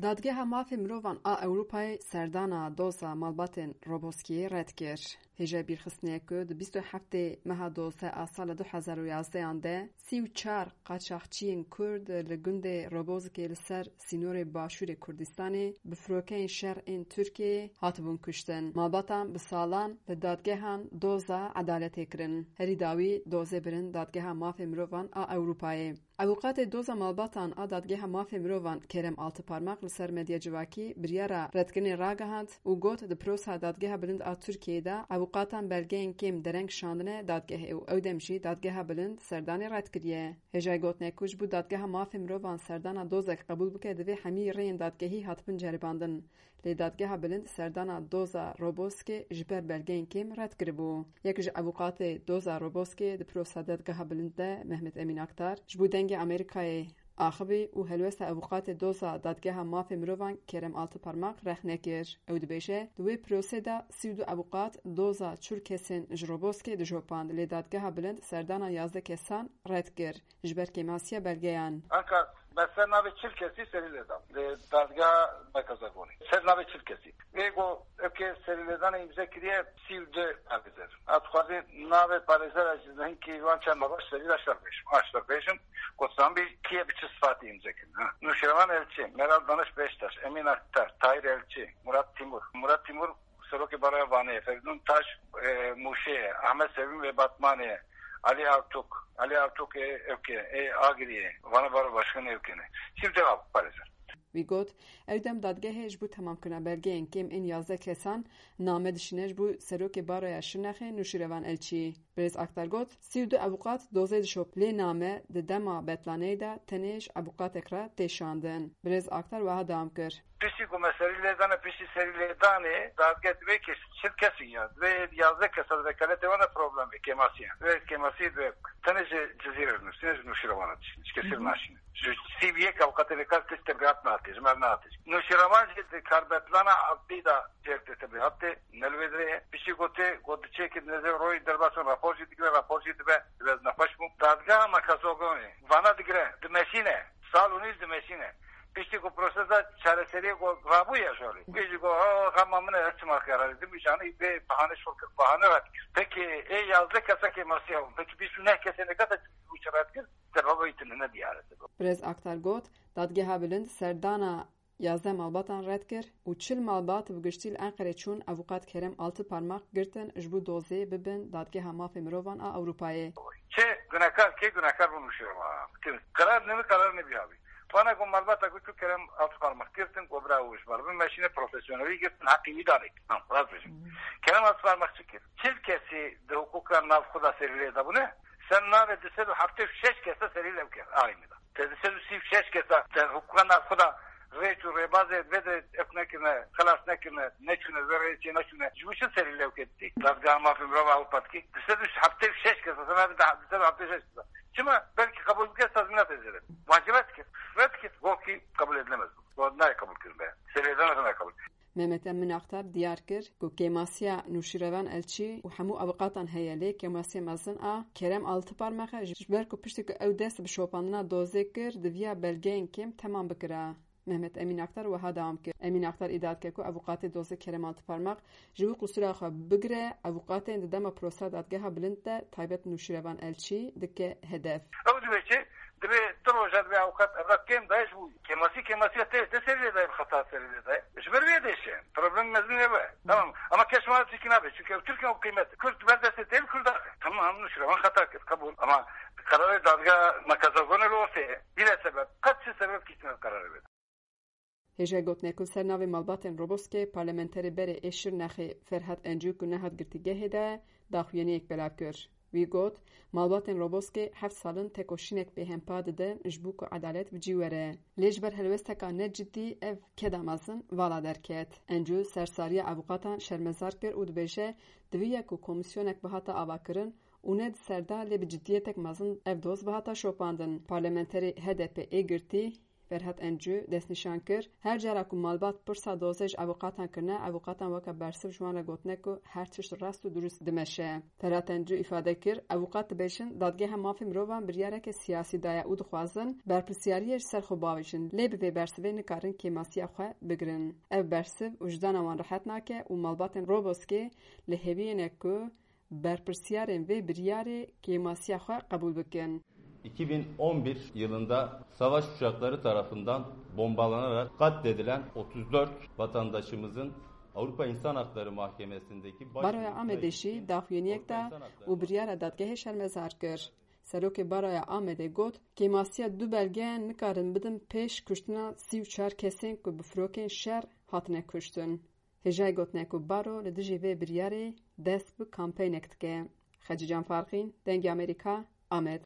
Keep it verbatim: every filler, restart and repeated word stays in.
Dadgeha Mafê Mirovan a Ewropayê serdana doza malbatên Roboskiyê red kir. Hêja bîrxistinê ye ku di bîst û heftê meha dozdeh a sala du hezar û yazdehan de sî û çar qaçaxçiyên Kurd li gundê Robozkê li ser sînorê başûrê Kurdistanê bi firokeyên şer ên Tirkiyeyê hatibûn kuştin. Malbatan bi salan li dadgehan doza edaletê kirin. Herî dawî dozê birin Dadgeha Mafê Mirovan a Ewropayê. Avûkatê doza malbatan a Dadgeha Mafê Mirovan Kerem Altıparmak li ser medya civakî biryara redkirinê ragihand û got, di prosa Dadgeha Bilind a Tirkiyeyê de avûkatan belgeyên kêm dereng şandine dadgehê û ew dem jî Dadgeha Bilind serdanê red kiriye. Hêjayî gotinê ku ji bo Dadgeha Mafê Mirovan serdana dozek qebûl bike, divê hemî rêyên dadgehî hatibin ceribandin. Lê Dadgeha Bilind serdana doza Roboskê ji ber belgeyên kêm red kiribû. Yek ji avûkatê doza Roboskê di prosa Dadgeha Bilind de Mehmet Emîn Aktar ji bo Dengê Amerîkayê axivî û helwesta avûkatê doza Dadgeha Mafê Mirovan Kerem Altıparmak rexne kir. Ew dibêje, di wê prosê de sî û du avûkat doza çil kesên ji Roboskê dijopand, lê Dadgeha Bilind serdana yazdeh kesan red kir. Ji ber kêmasiya belgeyan. Anka me ser navê çil kesî serî lê da. Li dadgeha Mekazagonê. Ser navê çil kesî. Wê got, eke serî lêdanê îmze kiriye sî û du parêzer. A dixwazê navê parêzera ji hinkî wan çend baş serî de şer bêjim. A şer bêjim, gotsambî kiye bi çi sifatî îmze kirin. Ha. Nûşevan Elçî, Meral Daniş Beştaş, Emîn Aktar, Tahir Elçî, Murat Timur. Murat Timur Serokê Baroya Vanê ye, Ferîdûn Taş, e, Mûşê ye, Ahmet Sevîm ve Batmanê ye, Alî Artuk, Alî Artuk ê Ewkê, ê Agiriyê, Vana Baro Başkanê Ewkê ne. Sî û du avûkat parêzer. Wî got, ew dem dadgehê ji bo temamkirina belgeyên kêm ên yazdeh kesan name dişîne ji bo Serokê Baroya Şirnexê Nûşîrevan Elçî. Birêz Aktar got, sî û du avûkat dozê dişop, lê name di dema betlaneyê de tenê ji avûkatek re tê şandin. Birêz Aktar wiha dewam kir. Piştî ku me serî lê dane, piştî serî lê danê, dadgeh divê kes, çil kes in ya. Divê yazdeh kes di vekaletê wan de problem bê, kêmasî ye. Divê kêmasî divê tenê ji Cizîrê nûsîne, ji Nûşîrevan re dişîne. Ji kesî re naşîne. Ji sî û yek avukatê vê kar kes tebrihat nehatiye, ji me re nehatiye. Nûşîrevan jî di karbetlana Abdî de cêr tê tebrihat tê, ne li vê dirê ye. Piştî ku tê, ku diçe ki nêzê royê derbasî rapor jî digire, rapor jî dibe, biraz nexweş bû. Dadgeha Mekazogonê, vana digire, dimeşîne. Sal û nîv dimeşîne. Piştî ku prosesa çareseriyê ku rabûye şolê. Wê jî got, "Oh, xema min e, ez çima kararê." Dimîşanî bê bahane şol kir, bahane red kir. Peki, ê yazdeh kesa kêmasiya bûn. Peki, bîst û neh kesê neke te çi red kir? Sebeba wî tune ne diyar e sebeba. Birêz Aktar got, Dadgeha Bilind serdana yazdeh malbatan red kir û çil malbat bi giştî li Enqerê çûn, avûkat Kerem Altıparmak girtin ji bo dozê bibin Dadgeha Mafê Mirovan a Ewropayê. Çi gunehkar, kê gunehkar bû nûşevan? Karar ne, karar ne biya bî. Vana ku malbata ku çû Kerem Altıparmak girtin, ku bira û ji ber bin meşîne profesyonelî girtin, heqî wî danê. Ha, rast bêjim. Hmm. Kerem Altıparmak çi kir? Çil kesî di hukûka nav xwe de serî lê dabûne, ser navê du sed û heftê û şeş kesa serî lew kir, aynî de. Te du sed û sî û şeş kesa te hukûka nav xwe de rêç û rêbazê vê de ev nekirine, xilas nekirine, neçûne, vê rêçê neçûne. Ji bo çi serî lew kir dî? Dadgeha Mafê Mirov Ewropa dikî. Du sed û heftê û şeş kesa, sen abi daha du sed û heftê û şeş kesa. Çima? Belkî qebûl bike, tazmînat êzêde. Wacibet kir. Red kir. Gokî qebûl edilemez. Got nayê qebûl kirin be. Serê de ne qebûl. Mehmet Emin Aktar diyar kir ku kêmasiya Nûşîrevan Elçî û hemû avukatan heye, lê kêmasiya mezin a Kerem Altıparmak e, ji ber ku piştî ku ew dest bi şopandina dozê kir, diviya belgeyên kêm temam bikira. Mehmet Emîn Aktar wiha dewam kir. Emîn Aktar îdia dike ku avukatê dozê Kerem Altıparmak ji bo qusûra xwe bigire, avukatên di dema prosa dadgeha bilind de taybet Nûşîrevan Elçî dike hedef. Ew dibê çi? Divê tu roja divê avukat evra kêm dayê ji bo kêmasî, kêmasiya te, te serî lê dayê, xeta serî lê dayê. Ji ber vê dêşe. Problem mezin ê be. Tamam. Ama keş ma çikî nabe. Çünkü ev Tirkiye o kıymet. Kurd ber destê tê, Kurd axe. Tamam, Nûşîrevan xeta kir. Qebûl. Ama kararê dadgeha Mekazagonê li ortê ye. Bîle sebep. Qet çi sebep kiştine kararê bide. Hêja gotinê ku li ser navê malbatên Roboskê parlamenterê berê ê Şirnexê Ferhat Encû ku nehat girtîgehê de daxuyaniyek belav kir. Wî got, malbatên Roboskê heft sal in tekoşînek bêhempa didin ji bo ku edalet bi cî were. Lê ji ber helwesteka ne cidî ev keda mezin vala derket. Encû sersariya avûkatan şermezar kir û dibêje, diviya ku komîsyonek bihata avakirin û ne di ser de lê bi ciddiyetek mezin ev doz bihata şopandin. Parlamenterê H D P ê girtî Ferhat Encû destnîşan kir, her cara ku malbat pirsa dozê ji avûkatan kirine, avûkatan weke bersiv ji wan re gotine ku her tişt rast û dirust dimeşe. Ferhat Encû îfade kir, avûkat dibêjin, Dadgeha Mafê Mirovan biryareke siyasî daye û dixwazin berpirsiyariyê ji ser xwe bavêjin, lê bi vê bersivê nikarin kêmasiya xwe bigirin. Ev bersiv wijdana wan rihet nake û malbatên Roboskê li hêviyê ne ku berpirsiyarên vê biryarê kêmasiya xwe qebûl bikin. iki bin on bir yılında savaş uçakları tarafından bombalanarak katledilen otuz dört vatandaşımızın Avrupa İnsan Hakları Mahkemesi'ndeki baş... Baroya Amedê jî daxuyaniyek da û biryara dadgehê şermezar kir. Serokê Baroya Amedê got, Kêmasiya du belgeyan nikarin bidin pêş kuştina sî û çar kesên ku bi firokên şer hatine kuştin. Hêjayî gotine ku baro li dijî vê biryarê dest bi kampeynek dike. Xecîcan Farqîn, Dengê Amerîka, Amed.